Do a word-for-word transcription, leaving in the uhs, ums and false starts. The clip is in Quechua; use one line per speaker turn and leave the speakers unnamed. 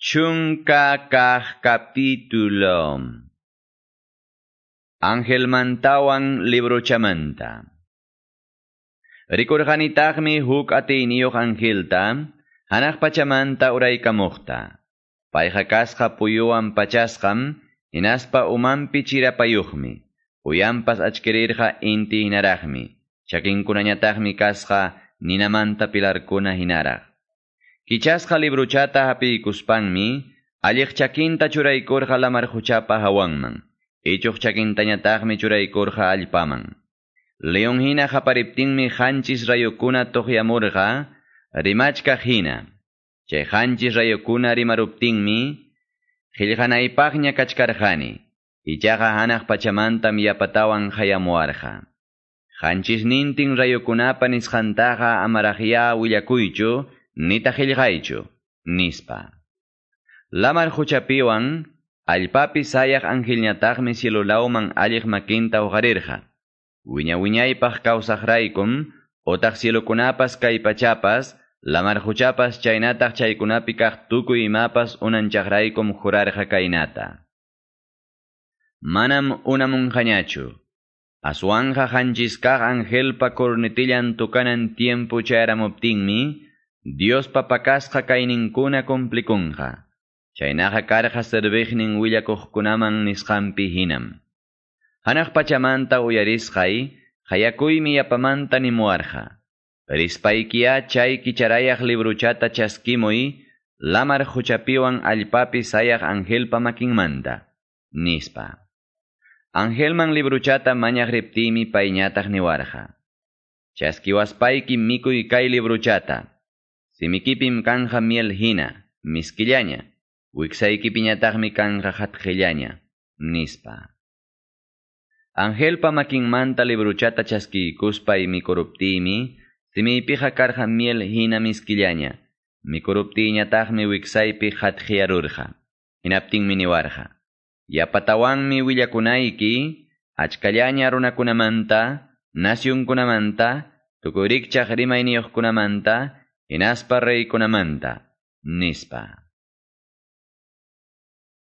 Chunka kaq capítulo. Angelmantawan librochamanta. Rikurqanitaqmi huk atiyniyuq angelta, hanaq pachamanta uraykamuqta. Payqa kasqa puyuwan pachasqam, hinaspa umanpi chirapayuqmi. Uyanpas achkirirqa inti hinaraqmi. Chakinkunañataqmi kasqa ninamanta pilarkuna hinaraq. Kichasqa libruchata hapiykuspanmi, alliq chakinta churaykurqa lamar quchapa hawanman. Ichuq chakintañataqmi churaykurqa allpaman. León hina qapariptinmi qanchis rayukuna tuqyamurqa, rimachkaq hina. Chay qanchis rayukuna rimaruptinmi, qillqanaypaqña kachkarqani. Ichaqa hanaq pachamantam yapatawan hayamuwarqa. Qanchisnintin rayukunapa nisqantaqa amaraqyá willakuychu, nitaq qillqaychu, nispa. Lamar quchapiwan, allpapi sayaq angelñataqmi cielolawman alliq makinta uqarirqa. Wiña wiñaypaq kawsaqraykum, otaq cielokunapas kay pachapas, lamar quchapas chaynataq chaykunapi kaq tukuy imapas unanchaqraykum jurarqa kaynata. Manam unamunqañachu. Aswanja qanchis kaq angelpa cornetillan tukanan tiempo chayaramuptinmi, Diospa pakasqa kayninkuna cumplikunqa. Chaynaqa karqa serviqnin willakuqkunaman nisqanpi hinam. Hanaq pachamanta uyarisqay, qayakuymi yapamanta nimuwarqa. Rispaykiya chay kicharayaq libruchata chaskimuy, lamar quchapiwan allpapi sayaq angelpa makinmanta, nispa. Angelman libruchata mañaq riptiymi payñataq niwarqa. Chaskiwaspayki mikuy kay libruchata. Simikipim kanja miel hina, miskillaña, wiksaykipiñataqmi kanja hatqillaña, nispa. Angelpa makinmanta libruchata chaskiykuspay mikuruptiymi, simiypiqa karqa miel hina miskillaña, mikuruptiyñataqmi wiksaypi hatqiyarurqa. Hinaptinmi niwarqa. Yapatawanmi willakunayki, achkallaña runakunamanta, nasyunkunamanta, tukuy rikchaq rimayniyuqkunamanta, hinaspa reykunamanta, nispa.